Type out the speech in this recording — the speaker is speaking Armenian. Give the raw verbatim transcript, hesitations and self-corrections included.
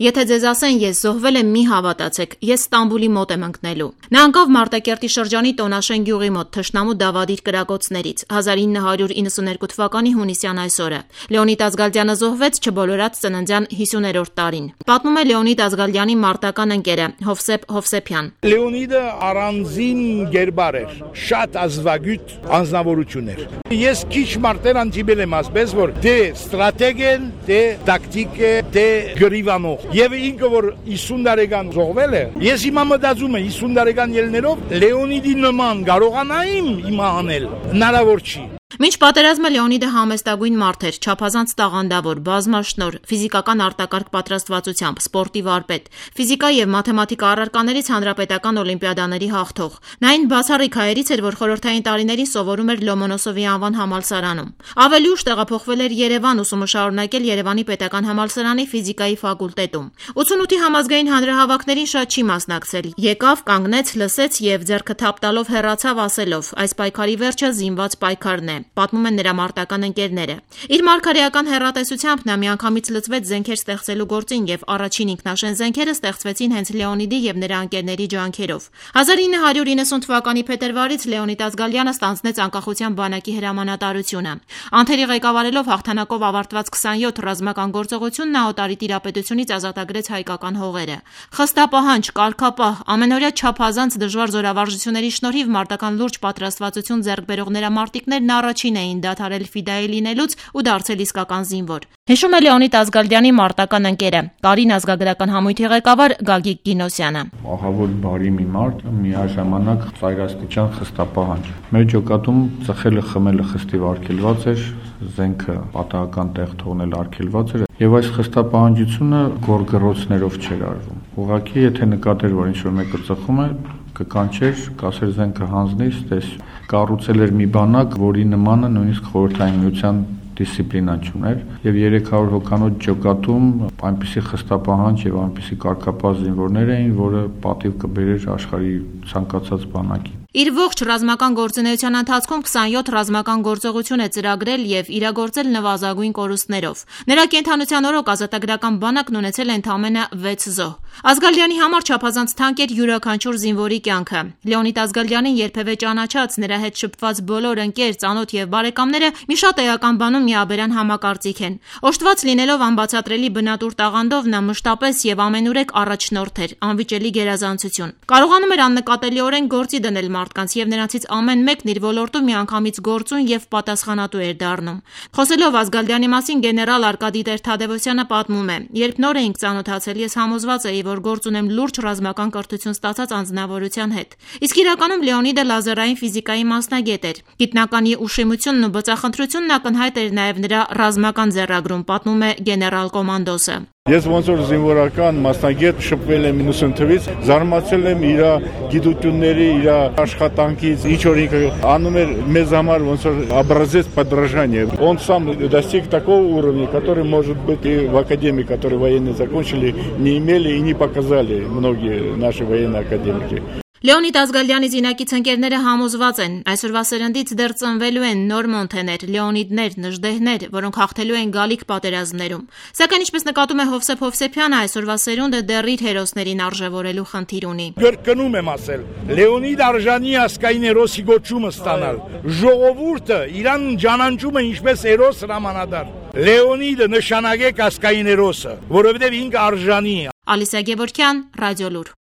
Եթե ձեզ ասեն, ես զոհվել եմ, մի հավատացեք, ես Ստամբուլի մոտ եմ ընկնելու։ Նա ընկավ Մարտակերտի շրջանի Տոնաշեն գյուղի մոտ թշնամու դավադիր կրակոցներից հազար ինը հարյուր իննսուներկու թվականի հունիսյան այսօրը։ Լեոնիդ Ազգալդյանը զոհվեց չբոլորած ծննդյան հիսուներորդ տարին։ Պատմում է Լեոնիդ Ազգալդյանի մարտական ընկերը Հովսեփ Հովսեփյան։ Լեոնիդը առանձին գերբար էր, շատ ազվագյուտ անձնավորություն էր։ Ես քիչ մարտեր անտիբել եմ ասպես, որ դե ստրատեգ են, դե տակտիկ է, դե գրիվանող։ Եվ ինքը որ հիսուն տարեկան զոհվել է, ես հիմա մտածում եմ հիսուն տարեկան ելներով Լեոնիդի նման կարողանայիմ հիմա անել, հնարավոր չի։ Մինչ պատերազմը Լեոնիդը համեստագույն մարդ էր, չափազանց տաղանդավոր, բազմաշնորհ, ֆիզիկական արտակարգ պատրաստվածությամբ, սպորտի վարպետ, ֆիզիկա եւ մաթեմատիկա առարկաներից հանրապետական օլիմպիադաների հաղթող։ Նա այն բացառիկ հայերից էր, որ խորհրդային տարիներին սովորում էր Լոմոնոսովի անվան համալսարանում։ Ավելի ուշ տեղափոխվել էր Երևան, ուսումը շարունակել Երևանի պետական համալսարանի ֆիզիկայի ֆակուլտետում։ ութանութի համազգային հանրահավաքներին շատ չի մասնակցել։ Եկավ, կանգնեց, լսեց եւ ձեռքը թափ տալով հեռացավ ասելով. այս պայքարի վերջը զինված պայքարն է։ Պատմում են նրա մարտական ընկերները։ Իր մարգարեական հեռատեսությամբ նա միանգամից լծվեց զենքեր ստեղծելու գործին եւ առաջին ինքնաշեն զենքերը ստեղծվեցին հենց Լեոնիդի եւ նրա ընկերների ջանքերով։ հազար ինը հարյուր իննսուն թվականի փետրվարից Լեոնիդ Ազգալյանը ստանձնեց անկախության բանակի հրամանատարությունը։ Անթերի ղեկավարելով հաղթանակով ավարտված քսանյոթ ռազմական գործողություն նա օտարի տիրապետությունից ազատագրեց հայկական հողերը։ Խստապահանջ, կարգապահ, ամենօրյա չափազանց դժվար զորավարժությունների շնորհիվ մարտական լուրջ պատրաստվածություն ձեռք բերող նրա մարտիկներն առաջին էին դադարել ֆիդայի լինելուց ու դարձել իսկական զինվոր։ Հիշում է Լեոնիդ Ազգալդյանի մարտական ընկերը, Կարին ազգագրական համույթի ղեկավար Գագիկ Գինոսյանը։ Ահավոր բարի մի մարդ, միաժամանակ ծայրաստիճան խստապահանջ։ Մեր ջոկատում ծխելը խմելը խստիվ արգելված էր, զենքը պատահական տեղ թողնել արգելված էր, եւ այս խստապահանջությունը գորգռոցներով չէր արվում։ Ուղղակի եթե նկատեր, որ ինչ-որ մեկը ծխում է, կկանչեր, կասեր զենքը հանձնիր, ստես կառուցել էր մի բանակ, որի նմանը նույնիսկ խորհրդային միության դիսցիպլինա չուներ եւ երեք հարյուր հոգանոց ջոկատում այնպիսի խստապահանջ եւ այնպիսի կարգապահ զինվորներ էին, որը պատիվ կբերեր աշխարհի ցանկացած բանակի։ Իր ողջ ռազմական գործունեության ընթացքում քսանյոթ ռազմական գործողություն է ծրագրել եւ իրագործել նվազագույն կորուստներով։ Նրա կենդանության օրոք ազատագրական բանակն ունեցել է ընդամենը վեց զոհ։ Ազգալյանի համար չափազանց թանկ էր յուրաքանչյուր զինվորի կյանքը։ Լեոնիդ Ազգալյանին երբևէ ճանաչած, նրա հետ շփված բոլոր ընկեր, ծանոթ եւ բարեկամները մի շատ էական բանում միաբերան համակարծիք են։ Օժտված լինելով անբացատրելի բնատուր տաղանդով նա մշտապես եւ ամենուրեք առաջնորդ էր, անվիճելի գերազանցություն։ Կարողանում էր աննկատելիորեն գործի դնել մարդկանց եւ նրանցից ամեն մեկն իր ոլորտում միանգամից գործուն եւ պատասխանատու էր դառնում։ Խոսելով Ազգալյանի մասին գեներալ Արկադի Տեր-Թադևոսյանը պատմում է. երբ նոր էինք ծանոթացել, ես համոզված էի, որ գործ ունեմ լուրջ ռազմական կրթություն ստացած անձնավորության հետ։ Իսկ իրականում Լեոնիդը լազերային ֆիզիկայի մասնագետ էր։ Գիտնականի ուշիմությունն ու բծախնդրությունն ակնհայտ էր նաեւ նրա ռազմական ձեռագրում, պատմում է գեներալ կոմանդոսը։ Ես ոնց որ զինվորական մասնագետ շփվել եմ իննսուն թվականից, զարմացել եմ իր գիտությունների, իր աշխատանքից, ինչ որ ինքը անում էր մեզ համար ոնց որ образец подражания. Он сам достиг такого уровня, который, может быть, и в академии, которые военные закончили, не имели и не показали многие наши военные академики. Լեոնիդ Ազգալյանի զինակից ընկերները համոզված են, այսօրվա սերնդից դեռ ծնվելու են նոր Մոնթեներ, Լեոնիդներ, Նժդեհներ, որոնք հաղթելու են գալիք պատերազմներում։ Սակայն ինչպես նկատում է Հովսեփ Հովսեփյանը, այսօրվա սերունդը դեռ իր հերոսներին արժևորելու խնդիր ունի։ Գրկնում եմ ասել, Լեոնիդ արժանի ասկային հերոսի գոչումը ստանալ։ Ժողովուրդը իրան ճանաչում է ինչպես հերոս հրամանատար։ Լեոնիդը նշանակեք ասկային հերոսը, որովհետև ինքը արժանի է։ Ալիսա Գևորգյան, Ռադիոլուր։